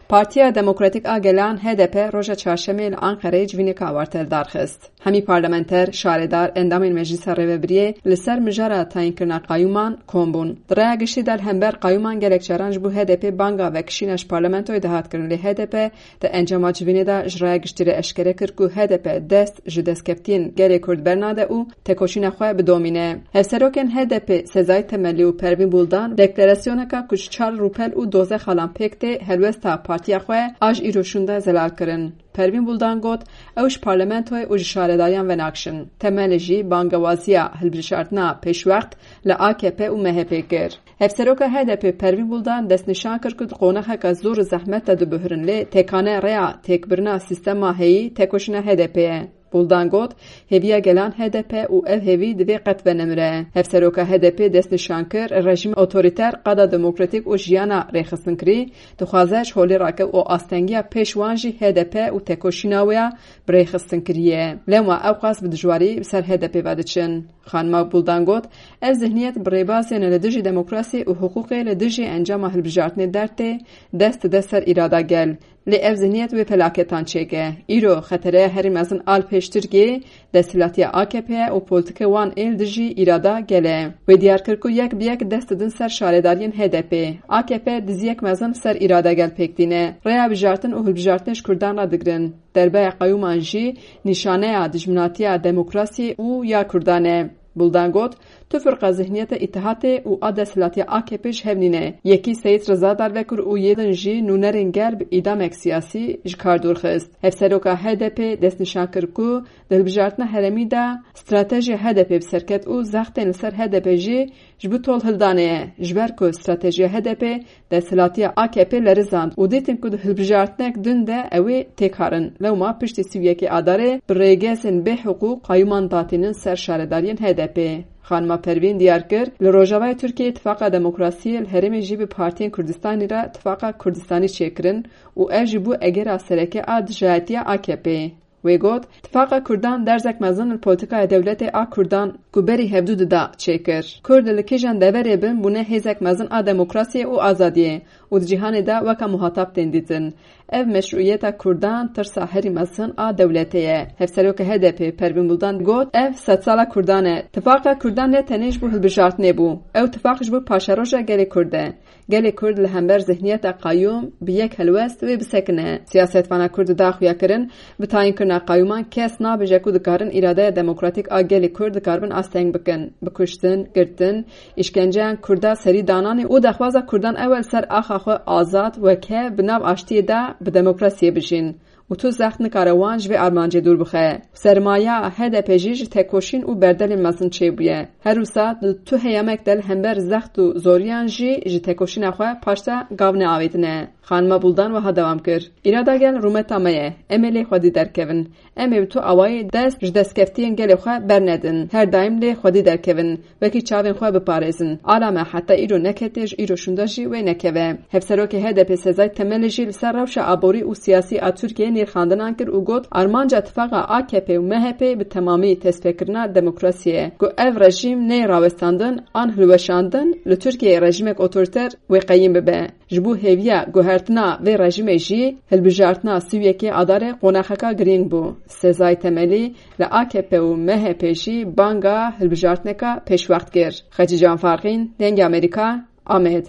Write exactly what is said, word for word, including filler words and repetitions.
Partiya Demokratîk a Gelan, H D P, roja çarşemê li Anqereyê civîneka awarte li dar xist. Hemî parlamenter, şaredar, endamên Meclisa Rêvebiriyê li ser mijara tayînkirina qayûman kom bûn. Di raya giştî de li hember qayûman gelek caran ji bo H D P banga vekişîna ji parlamentoyê dihat kirin, lê H D P di encama civînê de ji raya giştî re eşkere kir ku H D P dest ji destkeftiyên gelê Kurd bernade û tekoşîna xwe bidomîne. Hevserokên H D P Sezai Temelî û Pervîn Buldan deklarasyoneka ku ji çar rûpel û dozdeh xalan pêk tê helwesta partiya xwe a ji îro şûnde zelal kirin. Pervîn Buldan got, ew ji parlamentoyê û ji şaredariyan venakşin. Temelî jî bangewaziya hilbijartina pêşwext li A K P û M H P kir. Hevseroka H D P Pervîn Buldan destnîşan kir ku di qonaxeke zor û zehmet de dibihrin, lê têkane rêya têkbirina sîstema heyî tekoşîna H D P ye. Buldan got, hêviya gelan H D P û ev hêvî divê qet venemire. Hevseroka H D P destnîşan kir, rejîm otorîter, qada demokratîk û jiyana rêxistinkirî dixwaze ji holê rake û astengiya pêş wan jî H D P û tekoşîna wê ya bi rêxistinkirî ye. Lewma ew qas bi dijwarî bi ser H D P ve diçin. Xanima Buldan got, ev zihniyet bi rêbazên li dijî demokrasî û hiqûqê li dijî encama hilbijartinê dertê, dest dide ser îrada gel. Lê ev zihniyet wê felaketan çêke. Îro xetereya herî mezin a li pêş Tirkiyeyê desthilatiya A K P ye û polîtîkê wan ê li dijî îrada gel e. Wê diyar kir ku yek bi yek dest didin ser şaredariyên H D P. A K P diziyek mezin ser îrada gel pêk tîne. Rêya bijartin û hilbijartinê ji Kurdan re digirin. Derbeya qeyûman jî nîşaneya dijminatiya demokrasiyê û ya Kurdan e. Buldan got, tu firqa zihniyeta îtihatê û a desthilatiya A K P ji hev nîne. Yekî Seyîd Riza darve kir û yê din jî nûnerên gel bi îdamek siyasî ji kar dûr xist. Hevseroka H D P destnîşan kir ku di hilbijartina herêmî de stratejiya H D P bi ser ket û zextên li ser H D P jî ji bo tolhildanê ye. Ji ber ku stratejiya H D P desthilatiya A K P lerizand û dîtin ku di hilbijartinek din de ew ê têkarin. Lewma piştî sî û yekê Adarê bi rêgezên bêhiqûq qayûman datînin ser şaredariyên H D P. Xanima Pervîn diyar kir, li Rojavayê Tirkiyeyê Tifaqa Demokrasiyê li herêmê jî bi partiyên Kurdistanî re Tifaqa Kurdistanî çêkirin û ev jî bû egera sereke a dijayetiya A K P. Wê got, Tifaqa Kurdan derzek mezin li polîtîkaya dewletê a Kurdan ku berî hevdû dida çêkir. Kurd li kîjan deverê bin bûne hêzek mezin a demokrasiyê û azadiyê û di cîhanê de weke muhatap tên dîtin. Ev meşrûiyeta Kurdan tirsa herî mezin a dewletê ye. Hevserokê H D P Pervîn Buldan got, ev sedsala Kurdan e. Tifaqa Kurdan ne tenê ji bo hilbijartinê bû. Ew tifaq ji bo paşeroja gelê Kurd e. Gelê Kurd li hember zihniyeta qayûm bi yek helwest wê bisekine. Siyasetvana Kurd dida xuyakirin, bi tayînkirina qayûman kes nabêje ku dikarin îradeya demokratîk a gelê Kurd dikaribin asteng bikin. Bi kuştin, girtin, îşkenceyan Kurda serî dananê û daxwaza Kurdan ew e li ser axa xwe azad, weke, bi nav aştiyê de bi demokrasiyê bijîn. Û tu zext nikare wan ji vê armancê dûr bixe. Sermaya H D P jî ji tekoşîn û berdelên mezin çêbûye. Her wisa di tu heyamek de li hember zext û zoriyan jî ji tekoşîna xwe paşta gav neavêtine. Xanima Buldan wiha dewam kir, Îrada gel rûmeta me ye. Em ê lê xwedî derkevin. Em ê bi tu awayî dest ji destkeftiyên gelê xwe bernedin. Her daîm lê xwedî derkevin. Wekî çavên xwe biparêzin. Ala me heta îro neketiye, ji îro şûnde jî wê nekeve. Hevserokê H D P Sezai Temelî jî li ser rewşa aborî û siyasî a Tirkiyeyê nirxandinan kir û got, armanca tifaqa A K P û M H P bi temamî tesfekirina demokrasiyê ye, ku ev rejîm neyê rawestandin an hilweşandin li Tirkiyeyê rejîmek otorîter wê qeyîm bibe. Ji bo hêviya guhertina vê rejîmê jî hilbijartina sî û yekê Adarê qonaxeka girîng bû. Sezai Temelî li A K P û M H P jî banga hilbijartineka pêşwext kir. Xecîcan Farqîn, Dengê Amerîka, Amed.